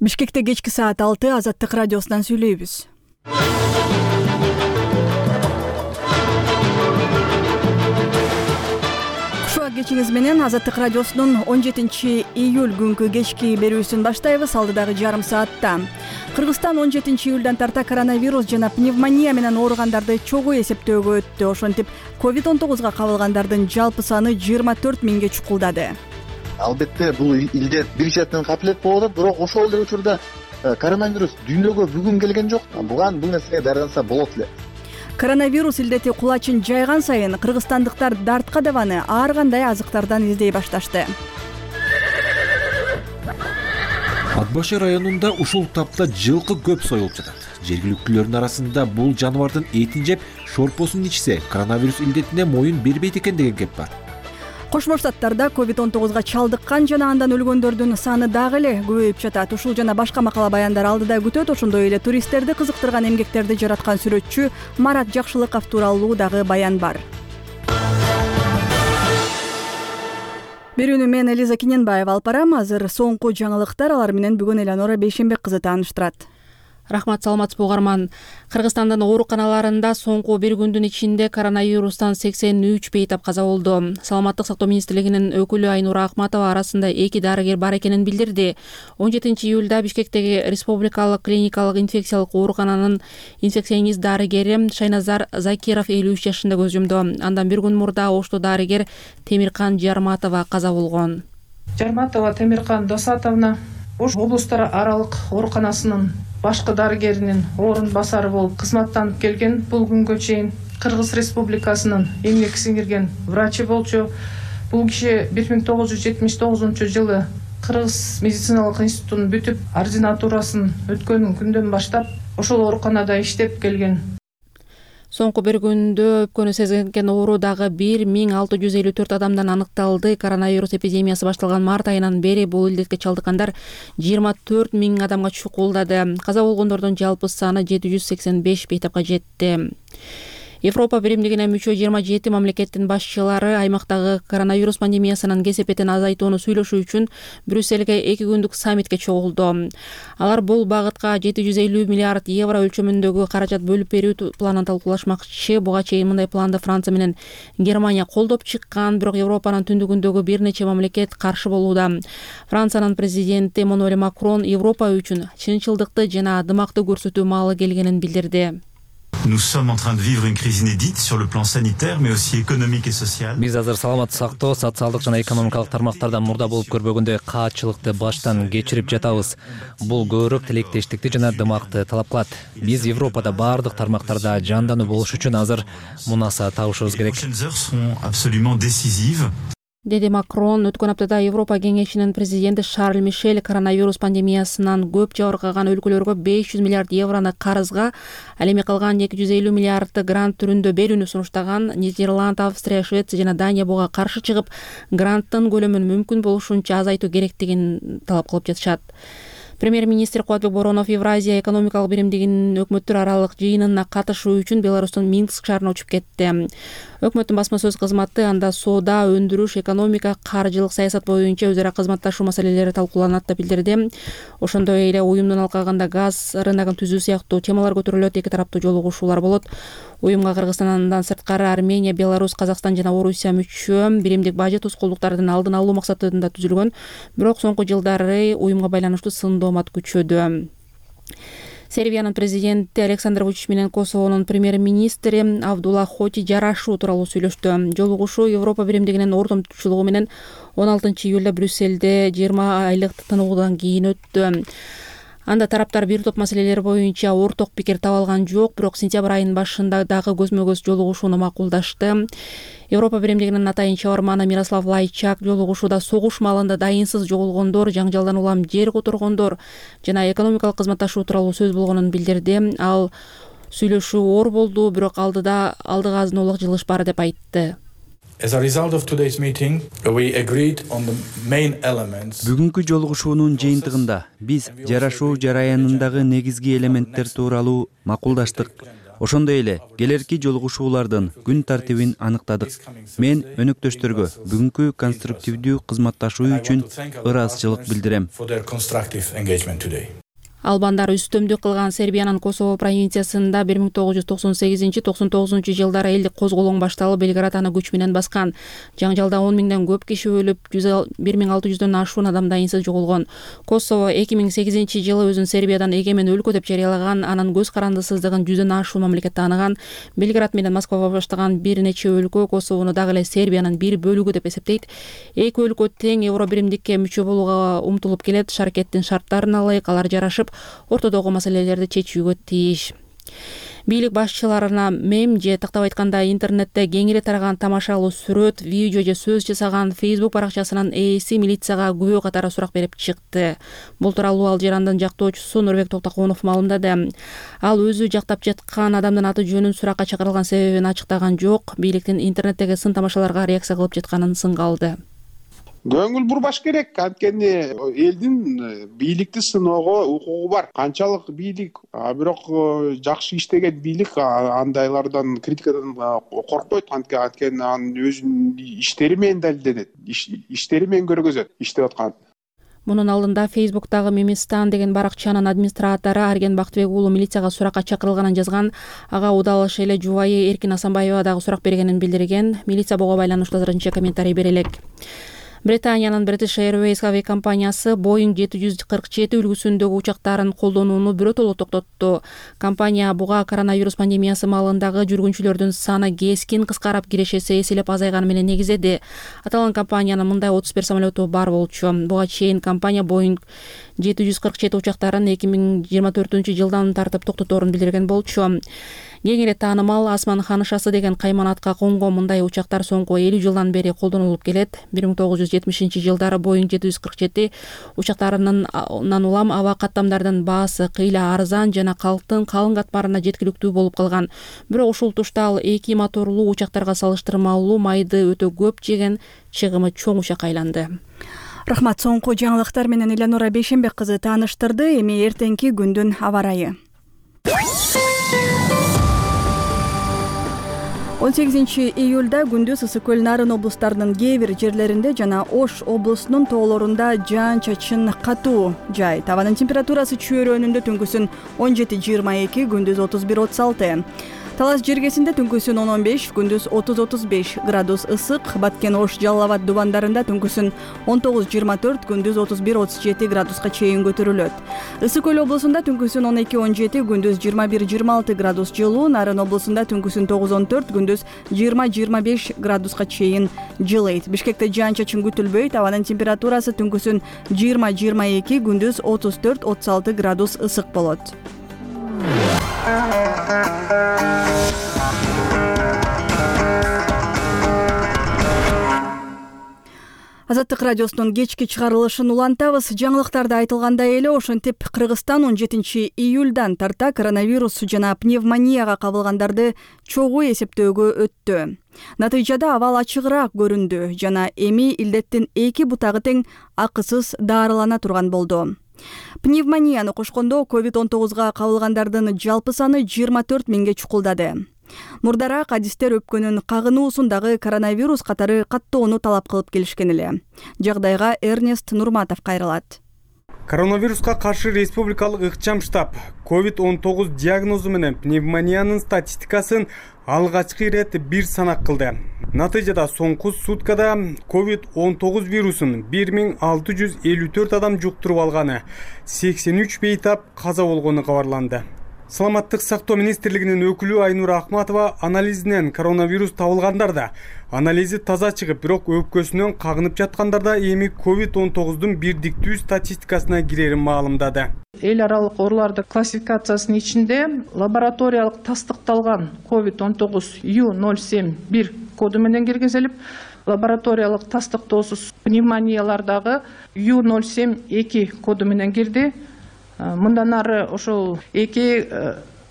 Бишкекте кечки саат 6 Азаттык радиосунан сүйлөйбүз. Кушуак кечиңиз менен Азаттык радиосунун 17 июль күнкү кечки берүүсүн баштайбыз. Алдыдагы жарым саатта Кыргызстан 17 июлдан тарта коронавирус жана пневмония менен ооругандарды чогуу эсептөөгө өттү. Ошентип COVID-19 кабылгандардын жалпы саны 24 миңге чукулдады. Албетте бул илдет бир четинен капилет болуп атат, бирок ошол эле учурда коронавирус дүйнөгө бүгүн келген жок. Бул нерсеге даярданса болот эле. Коронавирус илдети кулачын жайган сайын кыргызстандыктар дартка дабаны ар кандай азыктардан издей башташты. Ат башы районунда ушул тапта жылкы көп союлуп жатат. Жергиликтүүлөрдүн арасында бул жаныбардын этин жеп, шорпосун ичсе, коронавирус илдетине моюн бербейт экен деген кеп бар. Кошмо Штаттарда COVID-19 чалдыккан жана андан өлгөндөрдүн саны дагы эле көбөйүп жатат. Ушул жана башка макала баяндар алдыда күтөт. Ошондой эле туристтерди кызыктырган эмгектерди жараткан сүрөтчү Марат Жакшылыков тууралуу дагы баян бар. Берүүнү мен Элиза Киненбаева алып барам. Азыр соңку жаңылыктар, алар менен бүгүн Эланора Бейшенбек кызы тааныштырат. Рахмат, саламатсызбы угарман. Кыргызстандын ооруканаларында соңку бир күндүн ичинде коронавирустан 83 бейтап каза болду. Саламаттык сактоо министрлигинин өкүлү Айнура Акматова арасында 2 дарыгер бар экенин билдирди. 17 июлда Бишкектеги Республикалык клиникалык инфекциялык оорукананын инфекционист дарыгери Шайназар Закиров 53 жашында көз жумду. Андан бир күн мурда Ошту дарыгер Темиркан Жарматова каза болгон. Жарматова Темиркан Досатовна Ош облустар аралык ооруканасынын башкы дарыгеринин орун басары болуп кызматтанып келген. Бул күнгө чейин Кыргыз Республикасынын эмгек сиңирген врачы болчу. Бул киши 1979 жылы Кыргыз медициналык институтун бүтүп, ординатурасын өткөн күндөн баштап ошол ооруканада иштеп келген. Соңку бир күндө өпкөнү сезген оору дагы 1654 адамдан аныкталды. Коронавирус эпидемиясы башталган март айынан бери бул илдетке чалдыккандар 24 миң адамга чукулдады. Каза болгондордун жалпы саны 785 бейтапка жетти. Европа биримдигине мүчө 27 мамлекеттин башчылары аймактагы коронавирус пандемиясынын кесепетин азайтууну сүйлөшүү үчүн Брюссельге 2 күндүк саммитке чогулду. Алар бул багытка 750 миллиард евро өлчөмүндөгү каражат бөлүп берүү планын талкуулашмакчы. Буга чейин мындай планды Франция менен Германия колдоп чыккан, бирок Европанын түндүгүндөгү бир нече мамлекет каршы болууда. Франциянын президенти Эммануэль Макрон Европа үчүн чынчылдыкты жана дымакты көрсөтүү маалы келгенин билдирди. Nous sommes en train de vivre une crise inédite sur le plan sanitaire, mais aussi économique et social. Биз азыр саламаттык сактоо, социалдык жана экономикалык тармактарда мурда болуп көрбөгөндөй каатчылыкты баштан кечирип жатабыз. Бул көбүрөөк тилектештикти жана дымакты талап кылат. Биз Европада бардык тармактарда жандануу болуш үчүн азыр мунаса табышыбыз керек. Les prochaines heures seront absolument décisives. Деди Макрон. Өткөн аптада Европа кеңешинин президенти Шарль Мишель коронавирус пандемиясынан көп жабыркаган өлкөлөргө 500 миллиард евроны карызга, ал эми калган 250 миллиардты грант түрүндө берүүнү сунуштаган. Нидерланд, Австрия, Швеция жана Дания буга каршы чыгып, гранттын көлөмүн мүмкүн болушунча азайтуу керектигин талап кылып жатышат. Премьер-министр Кубатбек Боронов Евразия экономикалык биримдигинин өкмөттөр аралык жыйынына катышуу үчүн Беларустун Минск шаарына учуп кетти. Өкмөттүн басма сөз кызматы анда соода, өндүрүш, экономика, каржылык саясат боюнча өзара кызматташуу маселелери талкууланат деп билдирди. Ошондой эле уюмдун алкагында газ рыногун түзүү сыяктуу темалар көтөрүлөт. Эки тараптуу жолугушуулар болот. Уюмга Кыргызстандан сырткары Армения, Беларусь, Казакстан жана Орусия мүчө. Биримдик бажы тоскоолдуктардын алдын алуу максатында түзүлгөн. Бирок соңку жылдары уюмга байланыштуу сындоомат күчөдү. Сербиянын президенти Александр Вучич менен Косовонун премьер-министри Авдула Хоти жарашуу тууралуу сүйлөштү. Жолугушуу Европа биримдигинин ордун tutчулугу менен 16 июлда Брюссельде 20 айлык тынуудан кийин өттү. Анда тараптар бир топ маселелер боюнча орток пикир таба алган жок, бирок сентябрь айынын башында дагы көзмө-көз жолугушууну макулдашты. Европа биримдигинин атайын чабарманы Мирослав Лайчак жолугушууда согуш маалында дайынсыз жоголгондор, жаңжалдан улам жер которгондор жана экономикалык кызматташуу тууралуу сөз болгонун билдирди. Ал сүйлөшүү оор болду, бирок алдыга азынуулук жылыш бар деп айтты. As a result of today's meeting, we agreed on the main elements. Бүгүнкү жолугушуунун жыйынтыгында биз жарашуу жараянындагы негизги элементтер тууралуу макулдаштык. Ошондой эле келерки жолугушуулардын күн тартибин аныктадык. Мен өнөктөштөргө бүгүнкү конструктивдүү кызматташуу үчүн ыраазычылык билдирем. Албандар үстөмдүк кылган Сербиянын Косово провинциясында 1998-99 жылдары элдик козголоң башталып, Белград аны күч менен баскан. Жаңжалда 10 миңден көп киши өлүп, 1600дөн ашуун адам дайынсыз жоголгон. Косово 2008 жылы өзүн Сербиядан эгемен өлкө деп жарыялаган, анын көз карандысыздыгын 100дөн ашуун мамлекет тааныган. Белград менен Москвага баштаган бир нече өлкө Косовону дагы эле Сербиянын бир бөлүгү деп эсептейт. Эки өлкө тең евро биримдикке мүчө болууга умтулуп келет. Шаркеттин шарттарына ылайык алар жарашып, ортодогу маселелерди чечүүгө тийиш. Бийлик башчыларына мем же тактап айтканда интернетте кеңири тараган тамашалуу сүрөт, видео же сөз жасаган Facebook баракчасынын ээси милицияга күбө катары сурак берип чыкты. Бул тууралуу Ал Жарандын жактоочусу Нурбек Токтоконов маалымдады. Ал өзү жактап жаткан адамдын аты жөнүн суракка чакырылган себебин ачыктаган жок. Бийликтин интернеттеги сын тамашаларга реакция кылып жатканын сынга алды. Көңүл бурбаш керек, анткени элдин бийликти сыноого укугу бар. Канчалык бийлик, бирок жакшы иштеген бийлик андайлардан, критикадан коркпойт, анткени анын өзүнүн иштери менен далилденет, иштери менен көргөзөт иштеп аткан. Мунун алдында Facebook'тагы Мемистан деген баракчанын администратору Арген Бактыбек уулу милицияга суракка чакырылганын жазган. Ага удалыш эле жубайы Эркин Асанбаева дагы сурак бергенин билдирген. Милиция буга байланыштуу азырынча комментарий бере элек. Британиянын British Airways авиакомпаниясы Boeing 747 үлгүсүндөгү учактарын колдонууну биротоло токтотту. Компания буга коронавирус пандемиясы маалындагы жүргүнчүлөрдүн саны кескин кыскарып, кирешеси эселеп азайганы менен негиздеди. Аталган компаниянын мындай 31 самолету бар болчу. Буга чейин компания Boeing 747 учактарын 2024-жылдан тартып токтоторун билдирген болчу. Кеңири таанымал Асман ханышасы деген кайманатка конгон мындай учактар соңку 50 жылдан бери колдонулуп келет. 1970-жылдары Boeing 747 учактарынан улам аба каттамдардын баасы кыйла арзан жана калктын калың катмарына жеткиликтүү болуп калган. Бирок ушул тушта ал эки моторлуу учактарга салыштырмалуу майды өтө көп жеген, чыгымы чоң учакка айланды. Рахмат. Соңку жаңылыктар менен Элянура Бейшенбек кызы тааныштырды. Эми эртеңки күндүн аба ырайы. 18 июлда күндүз Ысык көл Нарын облустарынын кээ бир жерлеринде жана Ош облусунун тоолорунда жаан-чачын катуу жай. Табанын температурасы чөйрөнүндө түнкүсүн 17-22, күндүз 31-36. Талас жергесинде түнкүсүн 10-15, күндүз 30-35 градус ысык. Баткен, Ош, Жалал Абад дубандарында түнкүсүн 19-24, күндүз 31-37 градуска чейин көтөрүлөт. Ысык көл облусунда түнкүсүн 12-17, күндүз 21-26 градус жылуу. Нарын облусунда түнкүсүн 9-14, күндүз 20-25 градуска чейин жылыйт. Бишкекте жаан-чачын күтүлбөйт. Абанын температурасы түнкүсүн 20-22, күндүз 34-36 градус ысык болот. Азаттык радиосунун кечки чыгарылышын улантабыз. Жаңылыктарда айтылгандай эле ошентип Кыргызстан 17 июлдан тарта коронавирус жана пневмонияга кабылгандарды чогуу эсептөөгө өттү. Натыйжада абал ачыгыраак көрүндү жана эми илдеттин эки бутагы тең акысыз дарылана турган болду. Пневмонияны кошкондо COVID-19га кабылгандардын жалпы саны 24 миңге чукулдады. Мурдараак адистер өпкөнүн кагынуусун дагы коронавирус катары каттоону талап кылып келишкен эле. Жагдайга Эрнест Нурматов кайрылат. Коронавируска каршы республикалык ыкчам штаб COVID-19 диагнозу менен пневмониянын статистикасын алгачкы ирет бир санак кылды. Натыйжада соңку суткада COVID-19 вирусун 1654 адам жуктуруп алганы, 83 бейтап каза болгону кабарланды. Саламаттык сактоо министрлигинин өкүлү Айнура Ахматова анализинен коронавирус табылгандарда анализи таза чыгып, бирок өпкөсүнөн кагынып жаткандарда эми COVID-19дун бирдиктүү статистикасына кирерин маалымдады. Эл аралык ооруларды классификациясынын ичинде лабораториялык тастыкталган COVID-19 U071 коду менен киргизилип, лабораториялык тастыктоосуз пневмониялардагы U072 коду менен кирди. Мындан ары ошол эки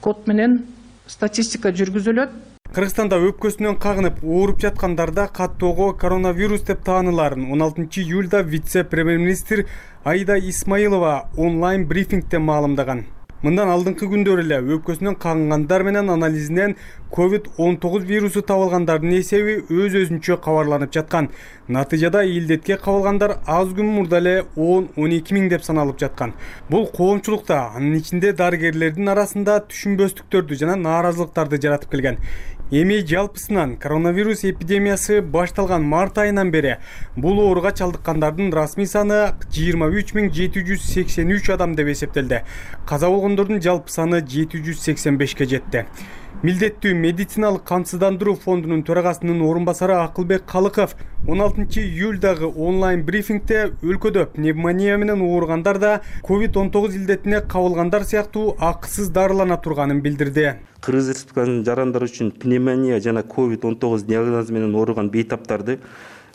код менен статистика жүргүзүлөт. Кыргызстанда өпкөсүнөн кагынып ооруп жаткандарда каттоого коронавирус деп тааныларын 16 июлда вице-премьер-министр Аида Исмаилова онлайн брифингде маалымдаган. Мындан алдыңкы күндөр эле өпкөсүнөн кагынгандар менен анализинен COVID-19 вирусу табылгандардын эсеби өз-өзүнчө кабарланып жаткан. Натыйжада илдетке кабылгандар аз күн мурда эле 10-12 миң деп саналып жаткан. Бул коомчулукта, анын ичинде дарыгерлердин арасында түшүнбөстүктөрдү жана нааразылыктарды жаратып келген. Эми жалпысынан коронавирус эпидемиясы башталган март айынан бери бул ооруга чалдыккандардын расмий саны 23.783 адам деп эсептелди. Каза болгондордун жалпы саны 785 жетти. Милдеттүү медициналык камсыздандыруу фондунун төрагасынын орун басары Акылбек Калыков 16-июлдагы онлайн брифингде өлкөдө пневмония менен ооругандар да COVID-19 илдетине кабылгандар сыяктуу акысыз дарылана турганын билдирди. Кыргыз Республикасынын жарандары үчүн пневмония жана COVID-19 диагнозу менен ооруган бейтаптарды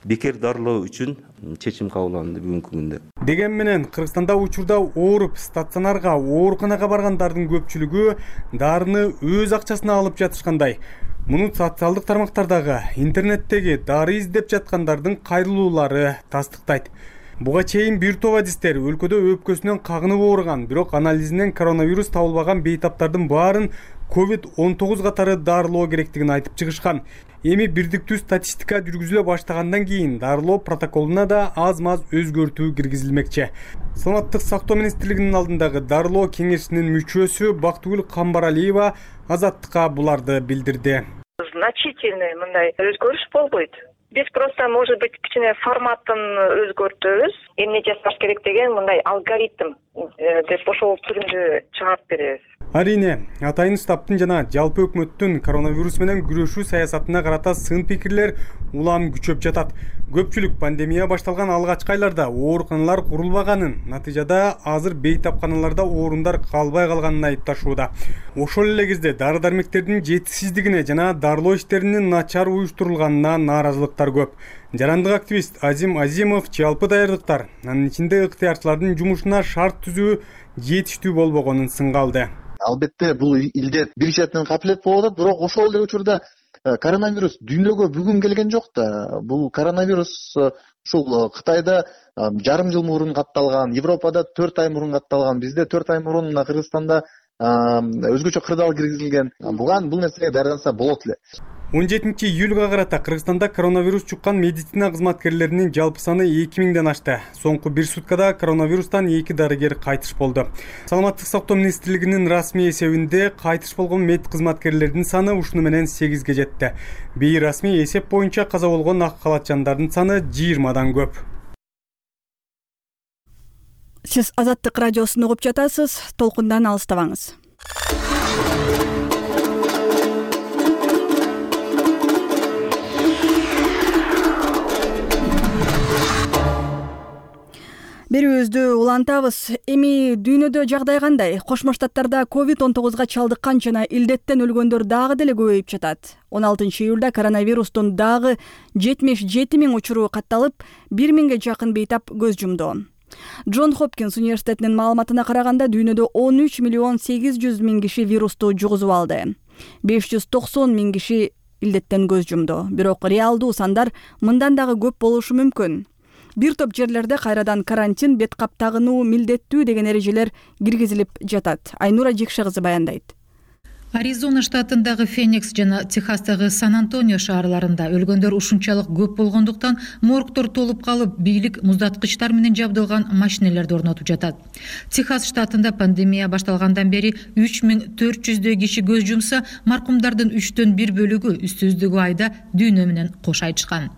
бекер дарылоо үчүн чечим кабыл алынды бүгүнкү күндө. Деген менен Кыргызстанда учурда ооруп стационарга, ооруканага баргандардын көпчүлүгү дарыны өз акчасына алып жатышкандай. Муну социалдык тармактардагы, интернеттеги дары издеп жаткандардын кайрылуулары тастыктайт. Буга чейин бир топ адистер өлкөдө өпкөсүнөн кагынып ооруган, бирок анализинен коронавирус табылбаган бейтаптардын баарын COVID-19 катары дарылоо керектигин айтып чыгышкан. Эми бирдиктүү статистика жүргүзүлө баштагандан кийин дарылоо протоколуна да аз-маз өзгөртүү киргизилмекчи. Саламаттык сактоо министрлигинин алдындагы дарылоо кеңешинин мүчөсү Бактыгүл Камбаралиева Азаттыкка буларды билдирди. Значительный мындай өзгөрүш болбойт. Биз просто, может быть, кичине форматын өзгөртөбүз. Эмне жасаш керек деген мындай алгоритм деп ошол түрүндө чыгарып беребиз. Арине, атайын штабтын жана жалпы өкмөттүн коронавирус менен күрөшүү саясатына карата сын пикирлер улам күчөп жатат. Көпчүлүк пандемия башталган алгачкы айларда ооруканалар курулбаганын, натыйжада азыр бейтапканаларда орундар калбай калганын айыпташууда. Ошол эле кезде дары-дармектердин жетишсиздигине жана дарылоо иштеринин начар уюштурулганына нааразылыктар көп. Жарандык активист Азим Азимов жалпы даярдыктар, анын ичинде ыктыярчылардын жумушуна шарт түзүү жетиштүү болбогонун сынга алды. Албетте бул илдет бир четинен капилет болуп атат, бирок ошол эле учурда коронавирус дүйнөгө бүгүн келген жок да. Бул коронавирус ушул Кытайда жарым жыл мурун катталган, Европада 4 ай мурун катталган, бизде 4 ай мурун Кыргызстанда өзгөчө кырдаал киргизилген. Бул нерсеге даярданса болот эле. 17-июлга карата Кыргызстанда коронавирус чуккан медицина кызматкерлеринин жалпы саны 2000ден ашты. Соңку бир суткада коронавирустан 2 дарыгер кайтыш болду. Саламаттык сактоо министрлигинин расмий эсебинде кайтыш болгон мед кызматкерлердин саны ушуну менен 8ге жетти. Бейрасмий эсеп боюнча каза болгон ак калачандардын саны 20дан көп. Сиз Азаттык радиосун угуп жатасыз, толкундан алыстабаңыз. Берүүбүздү улантабыз. Эми дүйнөдө жагдай кандай? Кошмо Штаттарда COVID-19 чалдыккан жана илдеттен өлгөндөр дагы деле көбөйүп жатат. 16-июлда коронавирустун дагы 77 миң учуру катталып, 1 миңге жакын бейтап көз жумду. Джон Хопкинс университетинин маалыматына караганда дүйнөдө 13.800.000 киши вирусту жугузуп алды. 590 миң киши илдеттен көз жумду. Бирок реалдуу сандар мындан дагы көп болушу мүмкүн. Бир топ жерлерде кайрадан карантин, бет кап тагынуу милдеттүү деген эрежелер киргизилип жатат. Айнура Жекше кызы баяндайт. Аризона штатындагы Феникс жана Техастагы Сан-Антонио шаарларында өлгөндөр ушунчалык көп болгондуктан моргтор толуп калып, бийлик муздаткычтар менен жабдылган машинелерди орнотуп жатат. Техас штатында пандемия башталгандан бери 3400 киши көз жумса, маркумдардын 3/4 бөлүгү үстүбүздөгү айда дүйнө менен кош айтышкан.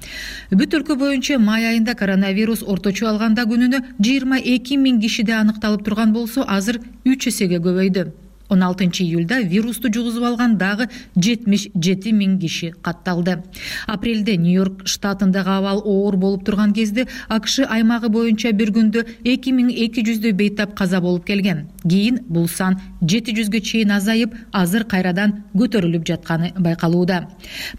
Бүт өлкө боюнча май айында коронавирус орточо алганда күнүнө 22 миң кишиде аныкталып турган болсо, азыр 3 эсеге көбөйдү. 16-июлда вирусту жугузуп алган дагы 77 миң киши катталды. Апрелде Нью-Йорк штатындагы абал оор болуп турган кезде АКШ аймагы боюнча бир күндө 2200 бейтап каза болуп келген. Кийин бул сан 700ге чейин азайып, азыр кайрадан көтөрүлүп жатканы байкалууда.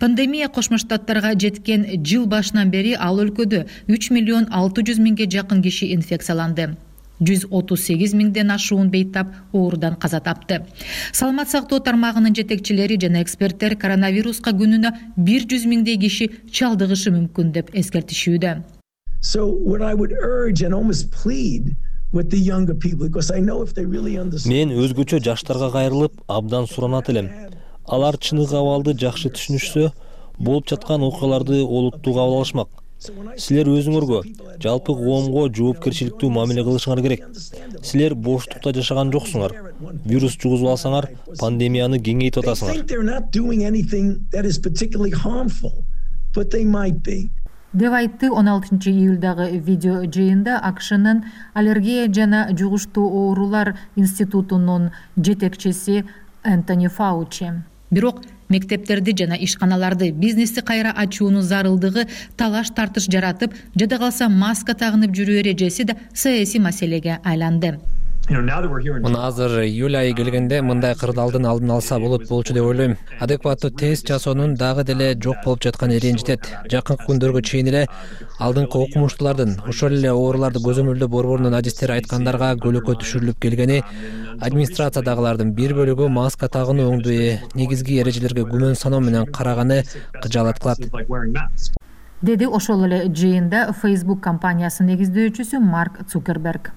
Пандемия Кошмо Штаттарга жеткен жыл башынан бери ал өлкөдө 3.600.000 жакын киши инфекцияланды. 138 миңден ашуун бейтап оорудан каза тапты. Саламат сактоо тармагынын жетекчилери жана эксперттер коронавируска күнүнө 100 миңдей киши чалдыгышы мүмкүн деп эскертишүүдө. So what I would urge and almost plead Мен өзгөчө жаштарга кайрылып, абдан суранат элем. Алар чыныгы абалды жакшы түшүнүшсө, болуп жаткан окуяларды олуттуу кабыл алышмак. Силер өзүңөргө, жалпы коомго жоопкерчиликтүү мамиле кылышыңар керек. Силер боштукта жашаган жоксуңар. Вирус жугузуп алсаңар, пандемияны кеңейтип атасыңар. деп айтты 16 июлдагы видео жыйында АКШнын аллергия жана жугуштуу оорулар институтунун жетекчиси Энтони Фаучи. Бирок мектептерди жана ишканаларды, бизнести кайра ачуунун зарылдыгы талаш тартыш жаратып, жада калса маска тагынып жүрүү эрежеси да саясий маселеге айланды. Мына азыр июль айы келгенде мындай кырдаалдын алдын алса болчу деп ойлойм. Адекваттуу тест жасоонун дагы деле жок болуп жатканы ренжитет. Жакынкы күндөргө чейин эле алдыңкы окумуштуулардын ошол эле ооруларды көзөмөлдөө борборунун адистери айткандарга көлөкө түшүрүлүп келгени, администрациядагылардын бир бөлүгү маска тагынуу оңдуу негизги эрежелерге күмөн саноо менен караганы кыжаалат кылат. Деди ошол эле жыйында Facebook компаниясынын негиздөөчүсү Марк Цукерберг.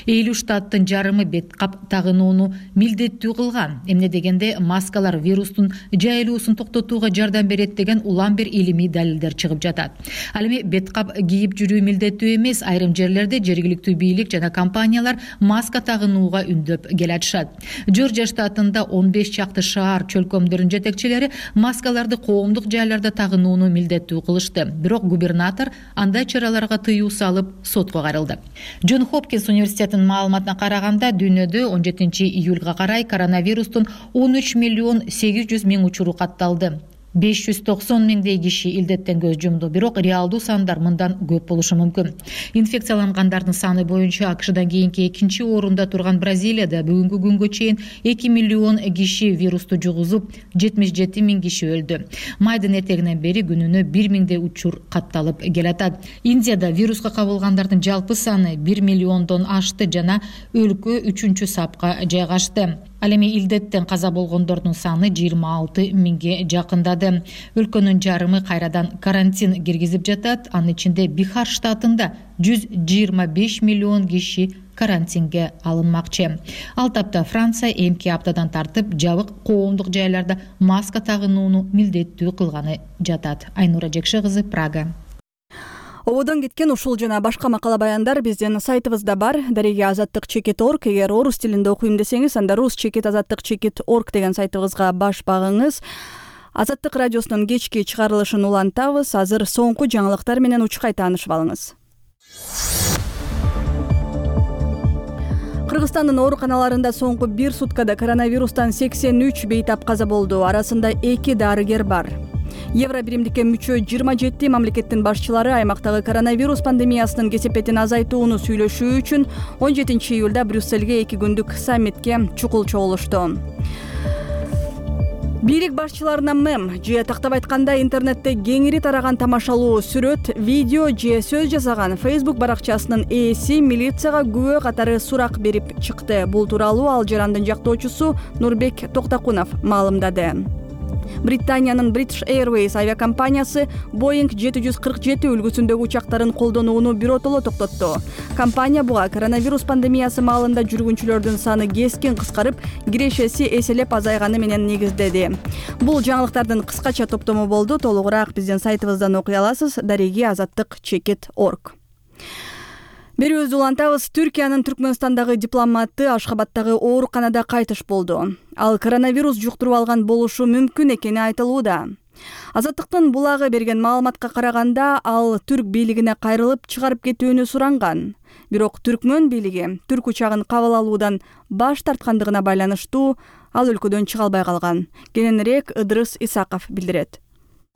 50 штаттын жарымы бет кап тагынууну милдеттүү кылган. Эмне дегенде маскалар вирустун жайылуусун токтотууга жардам берет деген улам бир илимий далилдер чыгып жатат. Ал эми бет кап кийип жүрүү милдеттүү эмес, айрым жерлерде жергиликтүү бийлик жана компаниялар маска тагынууга үндөп келатышат. Жоржия штатында 15 чакты шаар чөлкөмдөрүнүн жетекчилери маскаларды коомдук жайларда тагынууну милдеттүү кылышты. Бирок губернатор андай чараларга тыюу салып сотко кайрылды. Джон Хопкинс университетинин маалыматына караганда, дүйнөдө 17 июлга карай коронавирустун 13 миллион 800 миң учуру катталды. 590 миңдей киши илдеттен көз жумду, бирок реалдуу сандар мындан көп болушу мүмкүн. Инфекциялангандардын саны боюнча АКШдан кийинки экинчи орунда турган Бразилияда бүгүнкү күнгө чейин 2 миллион киши вирусту жугузуп, 77 миң киши өлдү. Майдын этегинен бери күнүнө 1 миңдей учур катталып келатат. Индияда вируска кабылгандардын жалпы саны 1 миллиондон ашты жана өлкө 3-чү сапка жайгашты. Ал эми илдеттен каза болгондордун саны 26 миңге жакындады. Өлкөнүн жарымы кайрадан карантин киргизип жатат. Анын ичинде Бихар штатында 125 миллион киши карантинге алынмакчы. Ал тапта Франция эмки аптадан тартып жабык коомдук жайларда маска тагынууну милдеттүү кылганы жатат. Айнура Жекше кызы, Прага. Ободон кеткен ушул жана башка макала баяндар биздин сайтыбызда бар. Дареги azattik.org. Эгер орус тилинде окуйм десеңиз, анда rus.azattik.org деген сайтыбызга баш багыңыз. Азаттык радиосунун кечки чыгарылышын улантабыз. Азыр соңку жаңылыктар менен учкай таанышып алыңыз. Кыргызстандын ооруканаларында соңку 1 суткада коронавирустан 83 бейтап каза болду. Арасында 2 дарыгер бар. Евро биримдикке мүчө 27 мамлекеттин башчылары аймактагы коронавирус пандемиясынын кесепетин азайтууну сүйлөшүү үчүн 17 июлда Брюссельге 2 күндүк саммитке чукул чогулушту. Бийлик башчыларына мем же тактап айтканда интернетте кеңири тараган тамашалуу сүрөт, видео же сөз жасаган Facebook баракчасынын ээси милицияга күбө катары сурак берип чыкты. Бул тууралуу Ал Жарандын жактоочусу Нурбек Токтакунов маалымдады. Британиянын British Airways авиакомпаниясы Boeing 747 үлгүсүндөгү учактарын колдонууну биротоло токтотту. Компания буга коронавирус пандемиясы маалында жүргүнчүлөрдүн саны кескин кыскарып, кирешеси эселеп азайганы менен негиздеди. Бул жаңылыктардын кыскача топтому болду. Толугураак биздин сайтыбыздан окуй аласыз. Дареги azattik.org. Берүүбүздү улантабыз. Түркиянын Түркмөнстандагы дипломаты Ашхабадтагы ооруканада кайтыш болду. Ал коронавирус жуктуруп алган болушу мүмкүн экени айтылууда. Азаттыктын булагы берген маалыматка караганда, ал түрк бийлигине кайрылып чыгарып кетүүнү суранган. Бирок Түркмөн бийлиги түрк учагын кабыл алуудан баш тарткандыгына байланыштуу ал өлкөдөн чыга албай калган. Кененирээк Ыдырыс Исаков билдирет.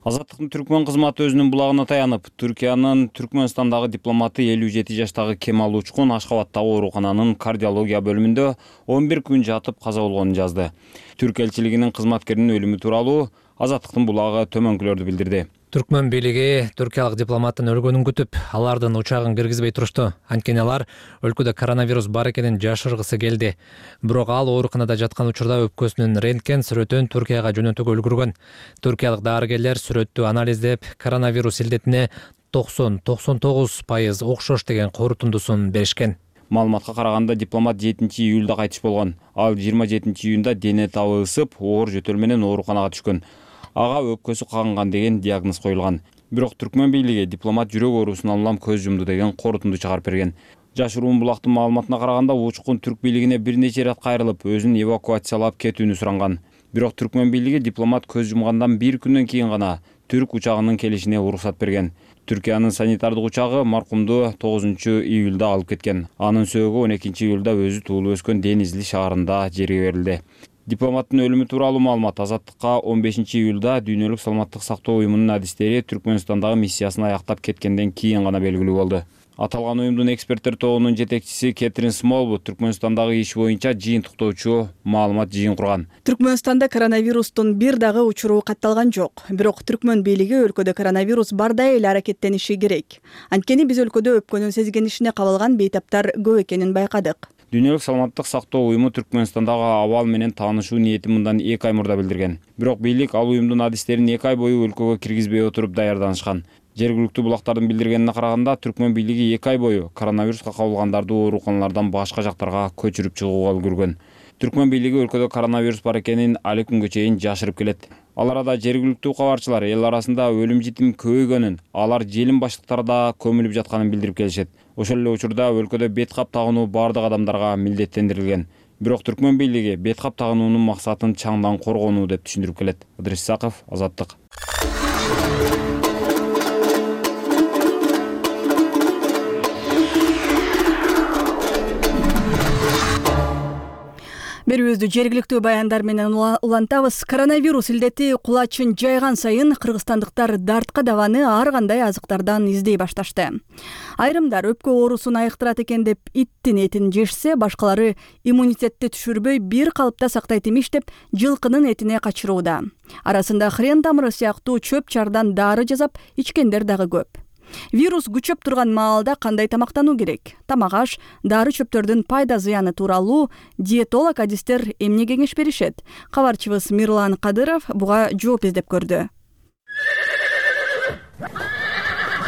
Азаттыктын Түркмөн кызматы өзүнүн булагына таянып, Түркиянын Түркмөнстандагы дипломаты 57 жаштагы Кемал Учкун Ашхабадтагы оорукананын кардиология бөлүмүндө 11 күн жатып каза болгонун жазды. Түрк элчилигинин кызматкеринин өлүмү тууралуу Азаттыктын булагы төмөнкүлөрдү билдирди. Түркмөн бийлиги түркиялык дипломаттын өлгөнүн күтүп, алардын учагын киргизбей турушту. Анткени алар өлкөдө коронавирус бар экенин жашыргысы келди. Бирок ал ооруканада жаткан учурда өпкөсүнүн рентген сүрөтүн Түркияга жөнөтүүгө үлгүргөн. Түркиялык дарыгерлер сүрөттү анализдеп, коронавирус илдетине 90-99% окшош деген корутундусун беришкен. Маалыматка караганда дипломат 7-июлда кайтыш болгон. Ал 27-июнда дене табы ысып, оор жөтөл менен ооруканага түшкөн. Ага өпкөсү кагынган деген диагноз коюлган. Бирок Түркмөн бийлиги дипломат жүрөк оорусунан улам көз жумду деген корутунду чыгарып берген. Жаш Руумбулактын маалыматына караганда учкун түрк бийлигине бир нече ирет кайрылып, өзүн эвакуациялап кетүүнү суранган. Бирок Түркмөн бийлиги дипломат көз жумгандан бир күндөн кийин гана түрк учагынын келишине уруксат берген. Түркиянын санитардык учагы маркумду 9-июлда алып кеткен. Анын сөөгү 12-июлда өзү туулуп өскөн Денизли шаарында жерге берилди. Дипломаттын өлүмү тууралуу маалымат Азаттыкка 15-июлда Дүйнөлүк саламаттык сактоо уюмунун адистери Түркмөнстандагы миссиясын аяктап кеткенден кийин гана белгилүү болду. Аталган уюмдун эксперттер тобунун жетекчиси Кетрин Смолвуд Түркмөнстандагы иш боюнча жыйынтыктоочу маалымат жыйын курган. Түркмөнстанда коронавирустун бир дагы учуру катталган жок. Бирок Түркмөн бийлиги өлкөдө коронавирус барда эле аракеттениши керек. Анткени биз өлкөдө өпкөнүн сезгенишине кабылган бейтаптар көп экенин байкадык. Дүйнөлүк саламаттык сактоо уюму Түркмөнстандагы абал менен таанышуу ниетин мындан 2 ай мурда билдирген. Бирок бийлик ал уюмдун адистерин 2 ай бою өлкөгө киргизбей отуруп даярданышкан. Жергиликтүү булактардын билдиргенине караганда, Түркмөн бийлиги 2 ай бою коронавируска кабылгандарды ооруканалардан башка жактарга көчүрүп чыгууга үлгүргөн. Түркмөн бийлиги өлкөдө коронавирус бар экенин али күнгө чейин жашырып келет. Ал арада жергиликтүү кабарчылар эл арасында өлүм житим көбөйгөнүн, алар желим баштыктарда көмүлүп жатканын билдирип келишет. Ошол эле учурда өлкөдө бет кап тагынуу бардык адамдарга милдеттендирилген. Бирок Түркмөн бийлиги бет кап тагынуунун максатын чаңдан коргонуу деп түшүндүрүп келет. Ыдрис Исаков, Азаттык. Берүүбүздү жергиликтүү баяндар менен улантабыз. Коронавирус илдети кулачын жайган сайын кыргызстандыктар дартка дабаны ар кандай азыктардан издей башташты. Айрымдар өпкө оорусун айыктырат экен деп иттин этин жешсе, башкалары иммунитетти түшүрбөй бир калыпта сактайт имиш деп жылкынын этине качырууда. Арасында хрен тамыры сыяктуу чөп чардан дары жасап ичкендер дагы көп. Вирус күчөп турган маалда кандай тамактануу керек? Тамак аш, дары чөптөрдүн пайда зыяны тууралуу диетолог адистер эмне кеңеш беришет? Кабарчыбыз Мирлан Кадыров буга жооп издеп көрдү.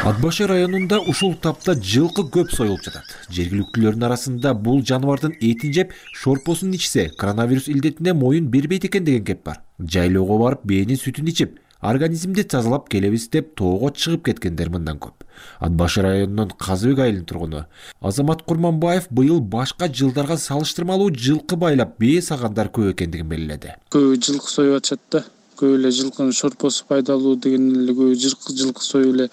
Ат башы районунда ушул тапта жылкы көп союлуп жатат. Жергиликтүүлөрдүн арасында бул жаныбардын этин жеп, шорпосун ичсе, коронавирус илдетине моюн бербейт экен деген кеп бар. Жайлоого барып бээнин сүтүн ичип, организмди тазалап келебиз деп тоого чыгып кеткендер мындан көп. Ат башы районунун Казыбек айылынын тургуну Азамат Курманбаев быйыл башка жылдарга салыштырмалуу жылкы байлап бээ сагандар көп экендигин белгиледи. Көп жылкы союп атышат да. Көп эле жылкынын шорпосу пайдалуу деген эле көп жылкы союп эле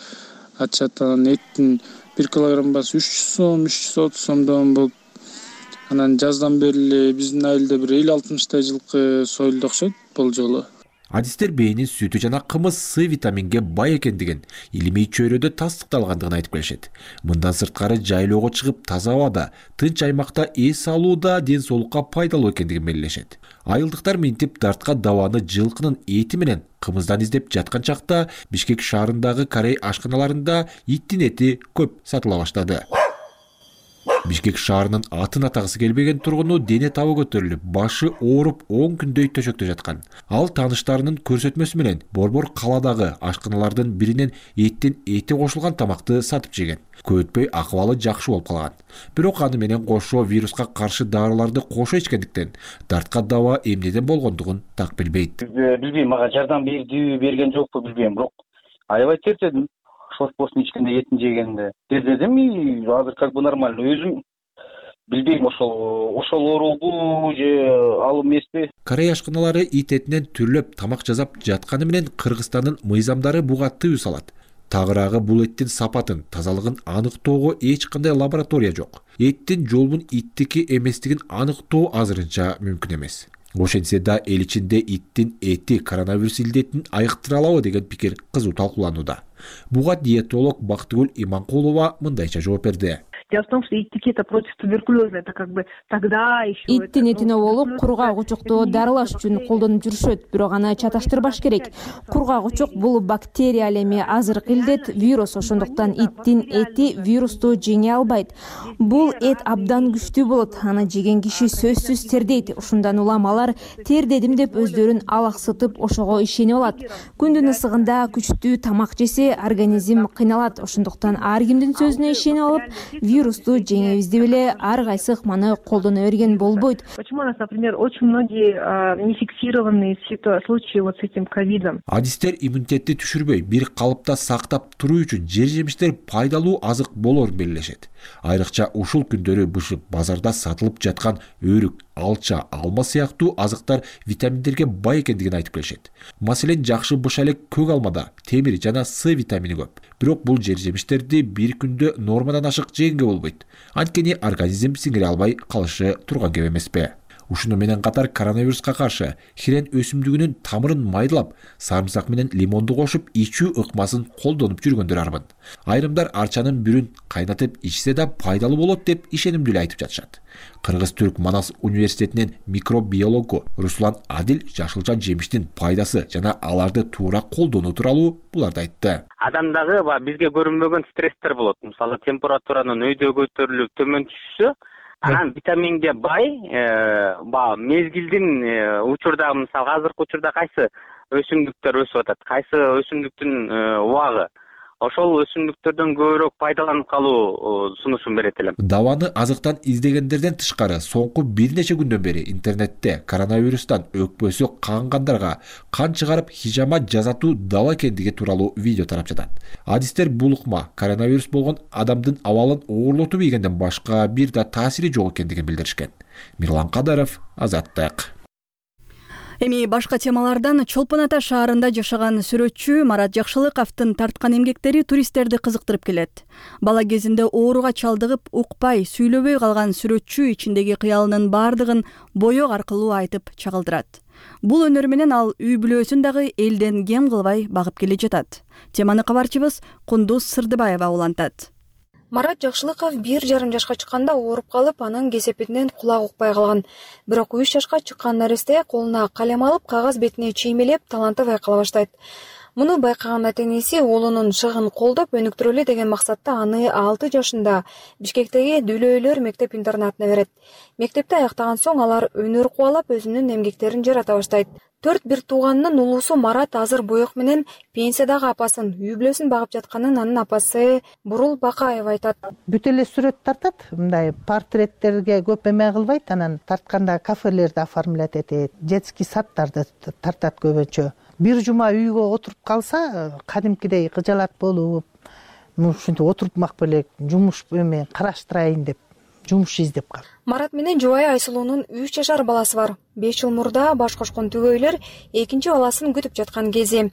атышат. Анан эттин 1 килограмм басы 300 сом, 330 сомдон болуп, анан жаздан бери эле биздин айылда бир 50-60 жылкы союлду окшойт бул жолу. Адистер бээнин сүтү жана кымыз С витаминге бай экендигин, илимий чөйрөдө тастыкталгандыгын айтып келишет. Мындан сырткары жайлоого чыгып таза абада, тынч аймакта эс алууда ден соолукка пайдалуу экендигин белгилешет. Айылдыктар минтип дартка дабаны жылкынын эти менен кымыздан издеп жаткан чакта Бишкек шаарындагы Корей ашканаларында иттин эти көп сатыла баштады. Бишкек шаарынын атын атагысы келбеген тургуну дене табы көтөрүлүп, башы ооруп 10 күндөй төшөктө жаткан. Ал тааныштарынын көрсөтмөсү менен Борбор каладагы ашканалардын биринен эттин эти кошулган тамакты сатып жеген. Көп өтпөй акыбалы жакшы болуп калган. Бирок аны менен кошо вируска каршы дарыларды кошо ичкендиктен дартка даба эмнеден болгондугун так билбейт. Билбейм, мага жардам бердиби, берген жокпу билбейм, бирок аябай тертедим. Шорпосун ичкенде, этин жегенде дедим, азыр как бы нормально. Өзүм билбейм, ошол оорубу же ал эмеспи. Корей ашканалары ит этинен түрлөп тамак жасап жатканы менен Кыргызстандын мыйзамдары буга тыюу салат. Тагыраагы бул эттин сапатын, тазалыгын аныктоого эч кандай лаборатория жок. Эттин жолбун иттики эместигин аныктоо азырынча мүмкүн эмес. Ошентсе да эл ичинде иттин эти коронавирус илдетин айыктыра алабы деген пикир кызуу талкууланууда. Буга диетолог Бактыгүл Иманкулова мындайча жооп берди. Дело в том, что иттики это против туберкулеза, это как бы тогда еще... Иттин этине болуп, кургак учукту дарылаш үчүн колдонуп жүрүшөт, бирок аны чаташтырбаш керек. Кургак учук бул бактерия ал эми азыркы илдет, вирус, ошондуктан иттин эти вирусту жеңе албайт. Бул эт абдан күчтүү болот, аны жеген киши сөзсүз тердейт. Ушундан улам алар тердедим деп өздөрүн алаксытып, ошого ишенип алат. Күндүн ысыгында күчтүү тамак жесе, организм кыйналат. Ошондуктан ар кимдин сөзүнө ишенип алып, вирусту жеңебиз деп эле ар кайсы ыкманы колдоно берген болбойт. Почему у нас, например, очень многие нефиксированные случаи вот с этим ковидом? Адистер иммунитетти түшүрбөй, бир калыпта сактап туруу үчүн жер-жемиштер пайдалуу азык болоорун белгилешет. Айрыкча ушул күндөрү бышып базарда сатылып жаткан өрүк, алча, алма сыяктуу азыктар витаминдерге бай экендигин айтып келишет. Маселен, жакшы быша элек көк алмада темир жана С витамини көп. Бирок бул жер-жемиштерди бир күндө нормадан ашык жегенге болбойт. Анткени организм сиңире албай калышы турган кеп эмеспи? Ушуну менен катар коронавируска каршы хирен өсүмдүгүнүн тамырын майдалап, сарымсак менен лимонду кошуп ичүү ыкмасын колдонуп жүргөндөр армын. Айрымдар арчанын бүрүн кайнатып ичсе да пайдалуу болот деп ишенимдүү айтып жатышат. Кыргыз-Түрк Манас университетинин микробиологу Руслан Адил жашылча жемиштин пайдасы жана аларды туура колдонуу тууралуу буларды айтты. Адамдагы бизге көрүнбөгөн стресстер болот. Мисалы, температуранын өйдө көтөрүлүп төмөн түшүшү, анан витаминге бай мезгилдин учурда, мисалы, азыркы учурда кайсы өсүмдүктөр өсүп атат, кайсы өсүмдүктүн убагы, ошол өсүмдүктөрдөн көбүрөөк пайдаланып калуу сунушун берет элем. Дабаны азыктан издегендерден тышкары соңку бир нече күндөн бери интернетте коронавирустан өкпөсү кангандарга кан чыгарып хижама жазатуу дал экендиги тууралуу видео тарап жатат. Адистер бул ыкма коронавирус болгон адамдын абалын оорлотуп ийгенден башка бир да таасири жок экендигин билдиришкен. Мирлан Кадаров, Азаттык. Эми башка темалардан Чолпон Ата шаарында жашаган сүрөтчү Марат Жакшылыковдун тарткан эмгектери туристтерди кызыктырып келет. Бала кезинде ооруга чалдыгып, укпай, сүйлөбөй калган сүрөтчү ичиндеги кыялынын бардыгын боёк аркылуу айтып чагылдырат. Бул өнөрү менен ал үй бүлөсүн дагы элден кем кылбай багып келе жатат. Теманы кабарчыбыз Кундуз Сырдыбаева улантат. Марат Жакшылыков 1,5 жашка чыкканда ооруп калып, анын кесепетинен кулак укпай калган. Бирок 3 жашка чыккан наресте колуна калем алып, кагаз бетине чиймелеп, таланты байкала баштайт. Муну байкаган ата-энеси уулунун шыгын колдоп, өнүктүрөлү деген максатта аны 6 жашында Бишкектеги Дүлөйлөр мектеп-интернатына берет. Мектепти аяктаган соң алар өнөр кубалап, өзүнүн эмгектерин жарата баштайт. 4 бир тууганынын улуусу Марат азыр боек менен пенсиядагы апасын, үй бүлөсүн багып жатканын анын апасы Бурул Бакаева айтат. Бүт эле сүрөт тартат, мындай портреттерге көп эме кылбайт, анан тартканда кафелерди оформлять этет, детский садтарды тартат көбүнчө. Бир жума үйгө отуруп калса, кадимкидей кыжалат болуп, ушинтип отуруп макпы элек, жумуш эме караштырайын деп, жумуш издеп калат. Марат менен жубайы Айсулуунун 3 жашар баласы бар. 5 жыл мурда баш кошкон түгөйлөр экинчи баласын күтүп жаткан кези.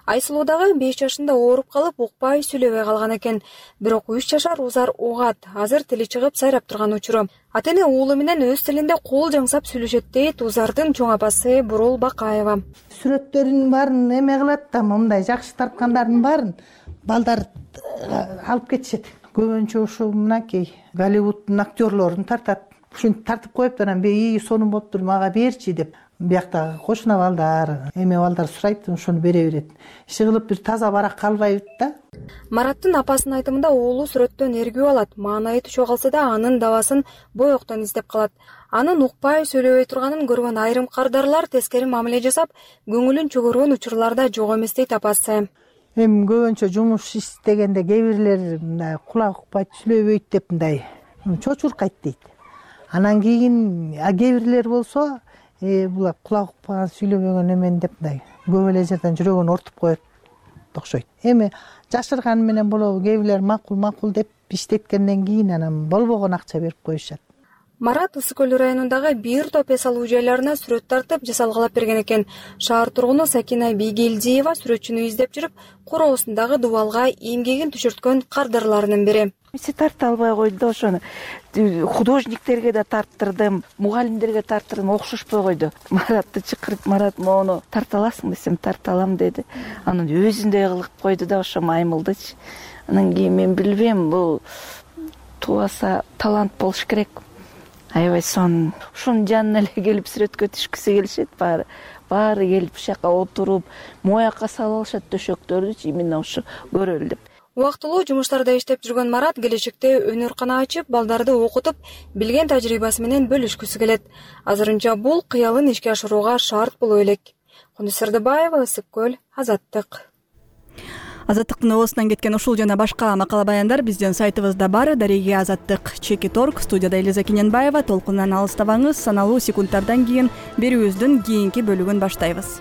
Айсулуу дагы 5 жашында ооруп калып, укпай, сүйлөбөй калган экен. Бирок 3 жашар Узар угат, азыр тили чыгып сайрап турган учуру. Ата-эне уулу менен өз тилинде кол жаңсап сүйлөшөт дейт Узардын чоң апасы Бурул Бакаева. Сүрөттөрүнүн баарын эме кылат да, мындай жакшы тарткандардын баарын балдар алып кетишет. Көбүнчө ушу мынакей Голливуддун актерлорун тартат. Ушинтип тартып коюп, анан бей сонун болуптур, мага берчи деп. Бияктагы кошуна балдар, эме балдар сурайт, ошону бере берет. Иши кылып бир таза барак калбайбыт да. Мараттын апасынын айтымында уулу сүрөттөн эргүү алат. Маанайы түшө калса да анын дабасын боектон издеп калат. Анын укпай, сүйлөбөй турганын көргөн айрым кардарлар тескери мамиле жасап, көңүлүн чөгөргөн учурларда жок эмес дейт апасы. Эми көбүнчө жумуш иштегенде кээ бирлер мындай кулак укпайт, сүйлөбөйт деп мындай чочуркайт дейт. Анан кийин кээ бирлер болсо, булар кулак укпаган, сүйлөбөгөн эмен деп мындай көп эле жерден жүрөгүн ортуп коет окшойт. Эми жашырган менен болобу, кээ бирлер макул деп иштеткенден кийин анан болбогон акча берип коюшат. Марат Ысык Көл районундагы бир топ эс алуу жайларына сүрөт тартып, жасалгалап берген экен. Шаар тургуну Сакина Бийгелдиева сүрөтчүнү издеп жүрүп, короосундагы дубалга эмгегин түшүрткөн кардарларынын бири. Тарта албай койду да, ошону художниктерге да тарттырдым, мугалимдерге тарттырдым, окшошпой койду. Маратты чакырып, Марат мону тарта аласың десем, тарта алам деди. Анан өзүндөй кылып койду да, ошо маймылдычы. Анан кийин мен билбейм, бул тубаса талант болуш керек. Аябай ошонун жанына эле келип сүрөткө түшкүсү келишет, баары келип ушака отуруп, моякка салып алышат төшөктөрдүчү, именно ушу көрөлү деп. Убактылуу жумуштарда иштеп жүргөн Марат келечекте өнөркана ачып, балдарды окутуп, билген тажрыйбасы менен бөлүшкүсү келет. Азырынча бул кыялын ишке ашырууга шарт боло элек. Кундуз Сырдыбаева, Ысык Көл, Азаттык. Азаттыктын оосунан кеткен ушул жана башка макала баяндар биздин сайтыбызда бар. Дареге Азаттык.org. Студияда Элиза Кененбаева. Толкундан алыстабаңыз. Саналуу секундтардан кийин берүүбүздүн кийинки бөлүгүн баштайбыз.